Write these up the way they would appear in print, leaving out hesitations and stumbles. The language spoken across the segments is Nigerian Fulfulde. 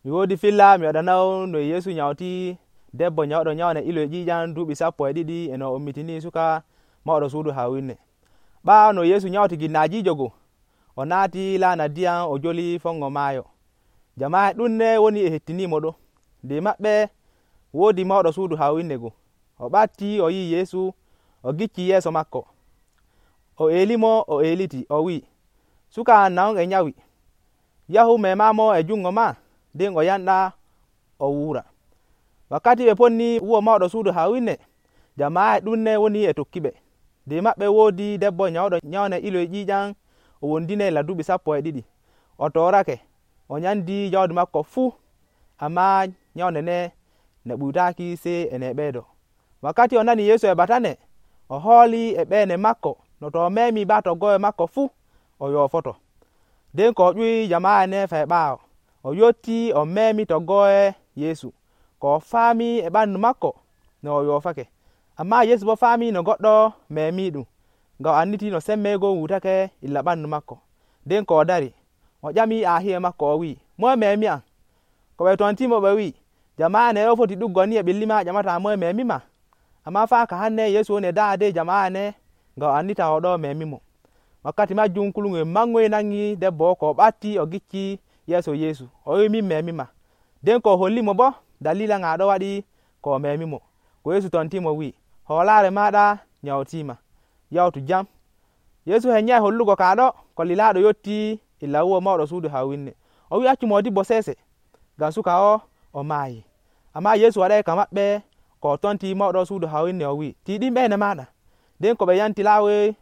mi wodi filla mi waɗanawo no Yesu nyauti debbo nyawɗo nyawne ilo e ƴiƴam duuɓi 12 e no ummitini suka mawɗo suudu hawinne. ɓaawo no Yesu nyawti ginnajijo go o naati laana ndiyam o joli fongo maayo. Jama'e ɗuɗne woni e hettinimo ɗo. Nder maɓɓe woodi mawɗo suudu hawinne go. O ɓatti o yi Yesu o gicci yeeso makko. O eelimo o eeliti o wi, suka nawon e nyawi, yahu memamo e jungo ma, nden o yanɗa o wuura. Wakkati ɓe ponni wuro mawɗo suudu hawinne, jama'e ɗuɗne woni e tokkiɓe. Nder maɓɓe woodi debbo nyawɗo nyawne ilo e ƴiƴam o wondine duuɓi 12. O torake o nyandi jawdi makko fuu, amma nyawne ne ɓuytaki sey e neɓeedo. Wakkati o nani Yesu e batane, o hooli e ɓeene makko no to o memi ba toggoore makko fuu o yoofoto. Nden ko o ƴuwi jama'e ne fay ɓaawo, o yotti o memi toggoore Yesu, ko o faami e ɓandu makko no o yoofake. Amma Yesu bo faami no goɗɗo memi ɗum, ngam o anditi no semmeygo wutake illa ɓandu makko. Nden ko o dari o ƴami aahiye makko o wi, moye memi am? Ko ɓe tontimo ɓe wi, jama'e ne ɗo foti ɗuggo ni e ɓilli ma ƴamata moye memima. Amma faa ka hanne Yesu woni e daade jama'e ne ngam o andita o ɗo memimo. Wakkati majjum kulngel mangoy nangi debbo ko o ɓatti o gicci yeeso Yesu o wi, min memima. Nden ko o hollimo bo dalila ngaɗo waɗi ko o memimo. Ko Yesu tontimo wi, hoolaare maɗa nyawtima, yawtu jam. Yesu henyai hollugo kaɗo ko lilaɗo yotti illa wuro mawɗo suudu hawinne. O wi accu modibbo sese, ngam suka o maayi. Amma Yesu waɗai ka maɓɓe ko o tonti mawɗo suudu hawinne o wi, tiiɗin ɓeene maɗa. Nden ko ɓe yanti laawe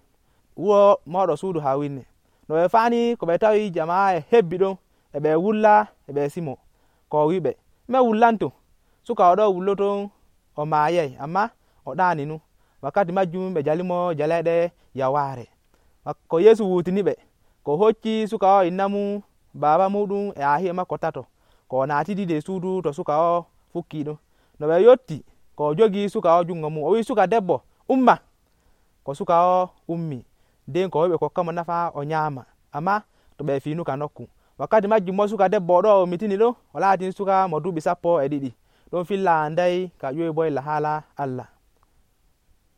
wuro mawɗo suudu hawinne. No ɓe faani ko ɓe tawi jama'e hebbi ɗon e ɓe wulla e ɓe simo, ko o wiɓe, me wullanto. Suka o ɗo wulloton o maayai, amma o ɗaaninu. Wakkati majjum ɓe jalimo jalayɗe yawaare. Ko Yesu wutini ɓe, ko hocci suka o inna mum, baaba muɗum e aahiye makko tato, ko o naatidi nder suudu to suka o fukki ɗon. No ɓe yotti, ko o jogi suka o jungo mum, o wi, suka debbo umma. Ko suka o ummi, nden ko ɓe kokkamo nafa o nyaama, amma to ɓe fiinuka nokku. Wakkati majjum mo suka debbo o ɗo o ummitini ɗo o laatin suka mo duuɓi 12. ɗon filla andai ka ƴoyi bo illa haala Allah.